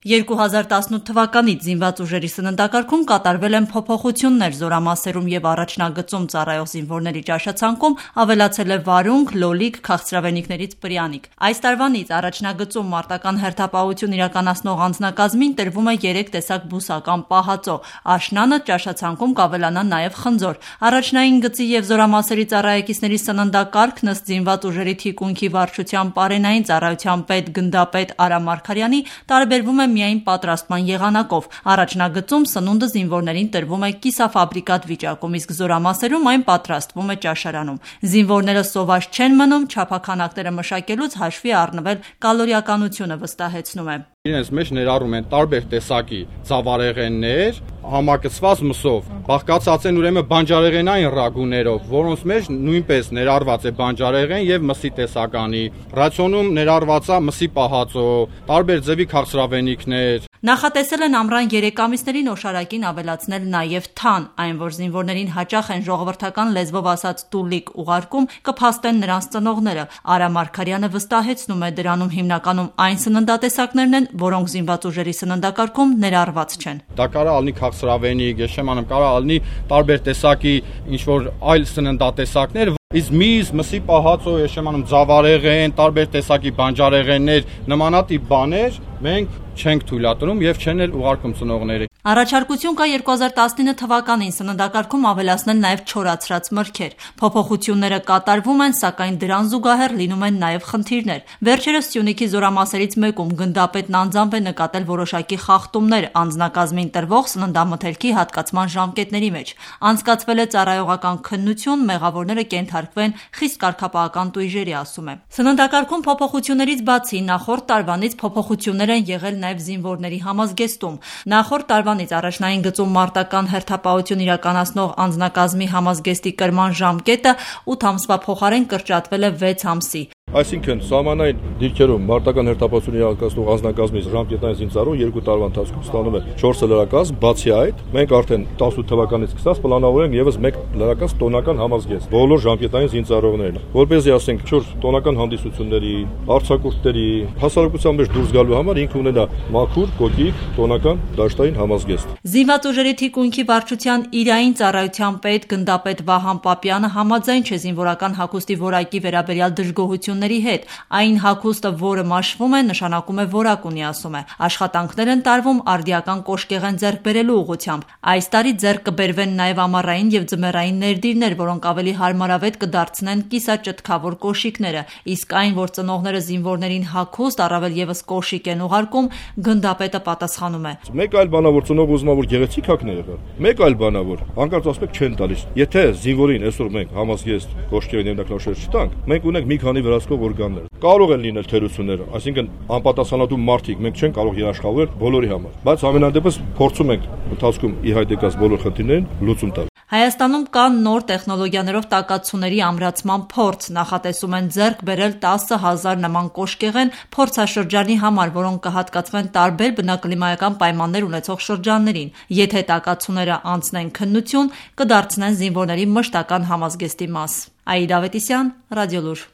2018 թվականից զինված ուժերի սննդակարգում կատարվել են փոփոխություններ զորամասերում և առաջնագծում ծառայող զինվորների ճաշացանկում ավելացել է վարունգ, լոլիկ, քաղցրավենիքներից պրյանիկ։ Այս տարվանից առաջնագծում մարտական հերթապահություն իրականացնող անձնակազմին տրվում է 3 տեսակ բուսական պահածո, աշնանը ճաշացանկում կավելանա նաև խնձոր։ Առաջնային գծի և զորամասերի ծառայեկիցների սննդակարգն ըստ զինված ուժերի թիկունքի վարչության պարենային ծառայության պետ գնդապետ Արամ Մարգարյանի տարբերվում է միայն պատրաստման եղանակով։ Առաջնագծում սնունդը զինվորներին տրվում է կիսաֆաբրիկատ վիճակում, իսկ զորամասերում այն պատրաստվում է ճաշարանում։ Զինվորները սոված չեն մնում, չափաքանակները մշակելուց հաշվի առնվել կալորիականությունը, վստահեցնում է։ Իրենց մեջ ներառում են տարբեր տեսակի ծավարեղեններ, համակցված մսով, բաղկացած են ուրեմն բանջարեղենային ռագուներով, որոնց մեջ նույնպես ներառված է բանջարեղեն եւ մսի տեսականի, ռացիոնում ներառված է մսի պահածո, տարբեր ձևի քաղցրավենիքներ։ Նախատեսել են ամռան 3 ամիսներին օշարակին ավելացնել նաև թան, այն որ զինվորներին հաճախ են ժողովրդական լեզվով ասած տուլիկ ուղարկում, կփաստեն նրանց ծնողները։ Արամ Մարգարյանը վստահեցնում է, դրանում հիմնականում այն սննդատեսակներն են, որոնք զինված ուժերի սննդակարգում ներառված չեն։ Դա կարող լինի քաղցրավենիք, ես չեմ անում, կարող լինի տարբեր տեսակի ինչ-որ այլ սննդատեսակներ, իսկ միս, մսի պահածո, ես չեմ անում, ձավարեղեն, տարբեր տեսակի բանջարեղեններ, նմանատիպ բաներ մենք չենք թույլատրում եւ չեն էլ ուղարկում ծնողների։ Առաջարկություն կա 2019 թվականին սննդակարգում ավելացնել նաև չորացրած մրգեր։ Փոփոխությունները կատարվում են, սակայն դրան զուգահեռ լինում են նաև խնդիրներ։ Վերջերս Սյունիքի զորամասերից մեկում գնդապետն անձամբ է նկատել որոշակի խախտումներ անձնակազմին տրվող սննդամթերքի հատկացման ժամկետների մեջ։ Անցկացվել է ծառայողական քննություն, մեղավորները կենթարկվեն խիստ կարգապահական տույժերի, ասում է։ Սննդակարգում փոփոխություններից բացի նախորդ տարվանից փոփոխություններ են եղել նաև զինվորների համազգեստում։ Նախորդ տարվանից առաջնային գծում մարտական հերթապահություն իրականացնող անձնակազմի համազգեստի կրման ժամկետը 8 ամսվա փոխարեն կրճատվել է 6 ամսի։ Այսինքն սահմանային դիրքերում մարտական հերթապահություն իրականացնող անձնակազմի ժամկետային զինծառայողը 2 տարվա ընթացքում ստանում է 4 լրակազմ, բացի այդ մենք արդեն 18 թվականից սկսած պլանավորել ենք եւս 1 լրակազմ տոնական համազգեստ բոլոր ժամկետային զինծառայողներին, որպեսզի ասենք 4 տոնական հանդիսությունների, արձակուրդների, հասարակության մեջ դուրս գալու համար ինքը ունենա մաքուր, կոկիկ, տոնական դաշտային համազգեստ։ Զինված ուժերի թիկունքի վարչության իրային ծառայության պետ գնդապետ Վահան Պապյանը համաձայն չէ զինվորական հագուստի որակի վերաբերյալ դժգոհությունների հետ։ Այն հագուստը, որը մաշվում է, նշանակում է որակ ունի, ասում է։ Աշխատանքներ են տարվում արդիական կոշկեղեն ձեռք բերելու ուղղությամբ։ Այս տարի ձեռք կբերվեն նաև ամառային եւ ձմեռային ներդիրներ, որոնք ավելի հարմարավետ կդարձնեն կիսաճտքավոր կոշիկները, իսկ այն, որ ծնողները զինվորներին հագուստ, առավել եւս կոշիկ են ուղարկում, գնդապետը պատասխանում է։ Մեկ այլ բանա, որ ծնող ուզում է որ գեղեցիկ հագն է եղել։ Մեկ այլ բանա, որ հանկարծ ասում եք չեն տալիս։ Եթե զինվորին այսօր մենք համազգեստ կոշկերին ներդաշներ չտանք, մենք ունենք մի քանի վերահսկող օրգաններ։ Կարող են լինել թերություններ, այսինքն անպատասխանատու մարդիկ, մենք չենք կարող երաշխավորել բոլորի համար, բայց ամենանդեպս փորձում ենք ընթացքում ի հայտ եկած բոլոր խնդիրներին լուծում տալ։ Հայաստանում կան նոր տեխնոլոգիաներով տակացուցների ամրացման փորձ, նախատեսում են ձեռք բերել 10,000 նման կոշկեղեն փորձաշրջանի համար, որոնք կհատկացվեն տարբեր բնակլիմայական պայմաններ ունեցող շրջաններին։ Եթե տակացուցները անցնեն քննություն, կդարձնեն զինվորների մշտական համազգեստի մաս։ Աիդա Ավետիսյան, Ռադիոլուր։